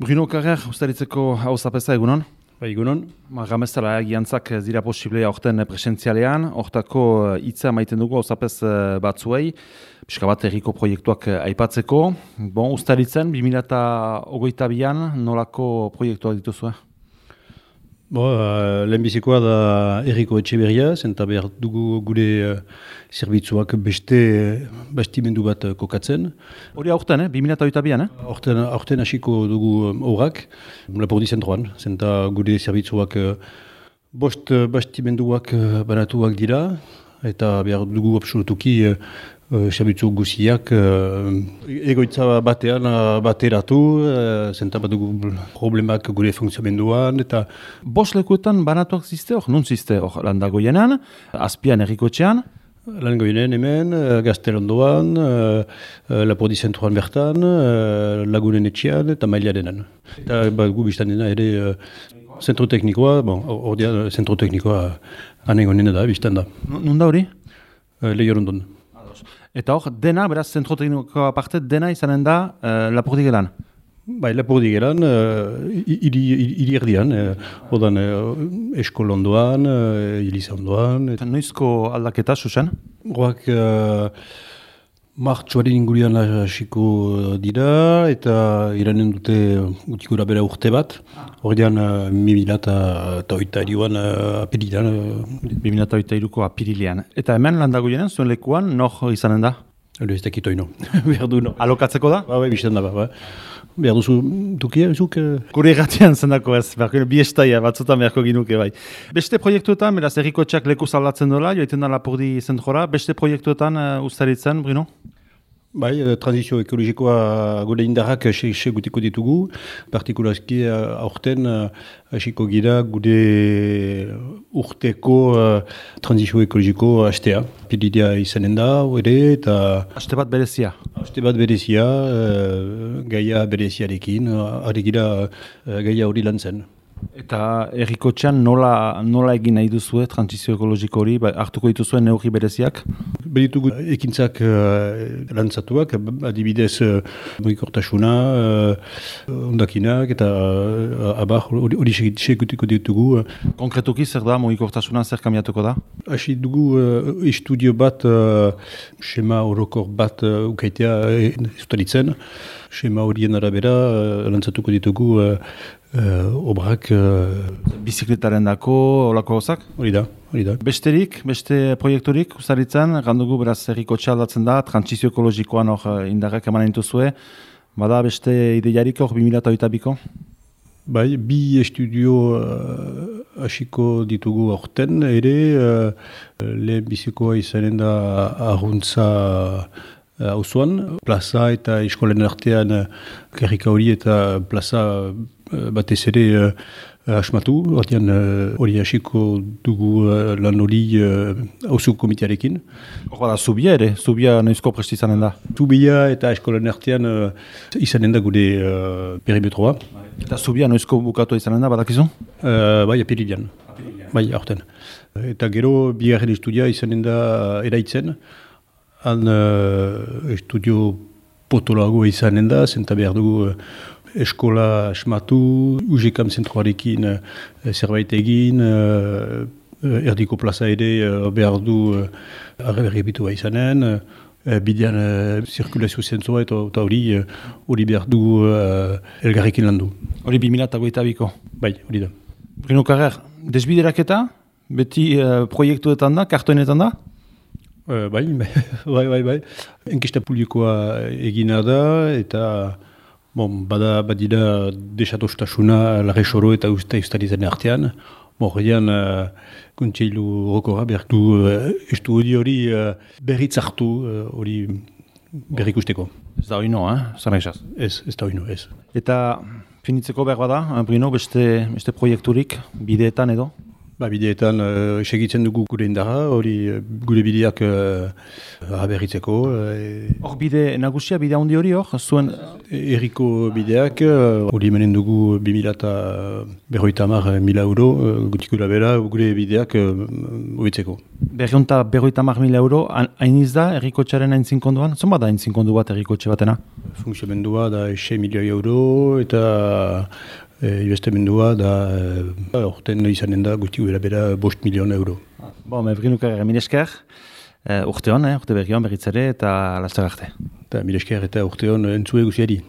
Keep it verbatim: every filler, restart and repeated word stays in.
Bruno Carrer, ustaritzeko hauzapeza egunon? Ba, egunon. Ma, gamezala, giantzak ez dira posible aurten presentzialean, hortako hitza maiten dugu hauzapez batzuei, pixka bat erriko proiektuak aipatzeko. Bon, ustaritzen, bi mila hogeita bian, nolako proiektuak dituzue? Bo, uh, lehenbizikoa da erriko Etxeberria, zenta behar dugu gure uh, zerbitzuak beste uh, bastimendu bat uh, kokatzen. Hori aurten, eh? bi mila hogeita bian, eh? Aurten, aurten hasiko dugu horak, um, Lapurdi zentroan, zenta gure zerbitzuak uh, bost uh, bastimenduak uh, banatuak dira, eta behar dugu absolutuki uh, zerbitzu guziak uh, egoitza batean uh, bateratu, uh, zenta bat dugu problemak gure funtziomenduan, eta Bost lekuetan banatuak ziste hor, nun ziste hor landagoienan, azpian errikotxean? Langoinen hemen, uh, Gaztelondoan, uh, uh, Lapurdi zentroan bertan, uh, Lagunen etxean eta Mailiarenan. Eta bat gu biztan dena ere uh, zentro teknikoa, bon, ordean zentro teknikoa anegonen da, biztan da. Nun da hori? Uh, Lehiorondon. Eta hor, dena, beraz, zentro teknikoa aparte, dena izanen da uh, Lapurdi gelan? Bai, Lapurdi gelan, uh, hiri erdian, uh, odan uh, Eskolondoan, uh, Iliza ondoan. Eta noizko aldaketa, Susan? Horak uh, martxoaren ingurian hasiko dira, eta iranen dute gutikura bera urte bat. Horrean, uh, mi mila eta oita irioan uh, apirilean. Uh, bi mila hogeita hiruko apirilean. Eta hemen landagoienan, zuen lekuan, nor izanen da? Elo ez dakit oino, behar du no. Alokatzeko da? Ba, bai, bizten da, ba, ba. Behar duzu dukia, zuk? Gure irratian zendako ez, beharko, bi estaia batzutan beharko ginuke bai. Beste proiektuetan, beraz, errikotxeak leku zaldatzen dola, joiten da Lapurdi zentrora, beste proiektuetan uh, ustaritzen, Bruno? Bai, transizio ekologikoa gure indarrak se gutiko ditugu, partikulazki aurten hasiko gira gure urteko transizio ekologiko hastea. Pilidia izanen da, ere, eta... Haste bat berezia? Haste bat berezia, gaia bereziarekin, ari gira gaia hori lan zen. Eta errikotxean nola, nola egin nahi duzue transizio ekologiko hori, ba, hartuko dituzuen neurri bereziak? Beditugu ekintzak uh, lantzatuak, adibidez uh, mugikortasuna, uh, ondakinak, eta uh, abar hori segutiko ditugu. Konkretuki zer da, mugikortasuna zer kamiatuko da? Hasi dugu uh, estudio bat, uh, schema orokor bat uh, ukaitea estalitzen. Schema horien arabera uh, lantzatuko ditugu uh, uh, obrak. Uh, Bizikletaren dako, olako hozak? Hori da, hori da. Besterik, beste proiekturik, uzaritzen, gandugu beraz errikotxea aldatzen da, transizio ekologikoan hor indarrak emanen dituzue, bada beste ideiarik hor bi mila hogeita biko? Bai, bi estudio hasiko uh, ditugu aurten, ere uh, lehen bizikoa izanen da arruntza auzoan, plaza eta eskolen artean karrika hori eta plaza uh, batez ere uh, asmatu, horrean hori uh, hasiko dugu uh, lan hori auzo uh, komitearekin. Hor da, zubia ere, zubia noizko presti izanen da? Zubia eta eskolen artean uh, izanen da gure uh, perimetroa. Eta zubia noizko bukatu izanen da, badakizu? Uh, bai, apirilean. Bai, aurten. Eta gero, bigarren estudia izanen da eraitzen. Han uh, estudio potolago izanen da, zenta behar dugu uh, eskola asmatu, U G K M zentroarekin uh, zerbait egin, uh, erdiko plaza ere uh, behar du uh, arreberribitua izanen, uh, bidean uh, zirkulazio zentroa eta hori uh, hori behar dugu uh, elgarrekin landu. Hori bi mila hogeita biko? Bai, hori da. Bruno Carrer, desbideraketa, beti uh, proiektuetan da, kartoinetan da? Uh, bai, bai, bai, bai. Enkesta publikoa egina da, eta bon, bada badira desatostasuna larresoro eta usta ustarizen artean. Horrean, uh, kontseilu horokora behar du uh, estudio hori uh, berriz hartu hori uh, berrikusteko. Ez da hori no, eh? Zara esaz? Ez, ez da hori no, ez. Eta finitzeko behar bada, Bruno, beste, beste proiekturik, bideetan edo? Ba, bideetan uh, segitzen dugu gure indarra, hori gure bideak uh, aberritzeko. Hor uh, bide nagusia, bide handi hori hor, zuen... Erriko bideak, hori uh, menen dugu bi mila eta berroita hamar mila euro, uh, gutikura bera gure bideak hobitzeko. Uh, Berriunta berroita hamar mila euro, hain iz da errikotxaren hain zinkonduan? Zon bat da hain zinkondu bat errikotxe batena? Funksionamendua da sei milioi euro eta E, Ibestemendua da orten izanen da guzti bera bera bost milion euro. Bo, mebrinuk ere, mil esker, urte hon, urte berri hon berritzare eta lastar arte. Mil esker eta urte hon entzue guziari.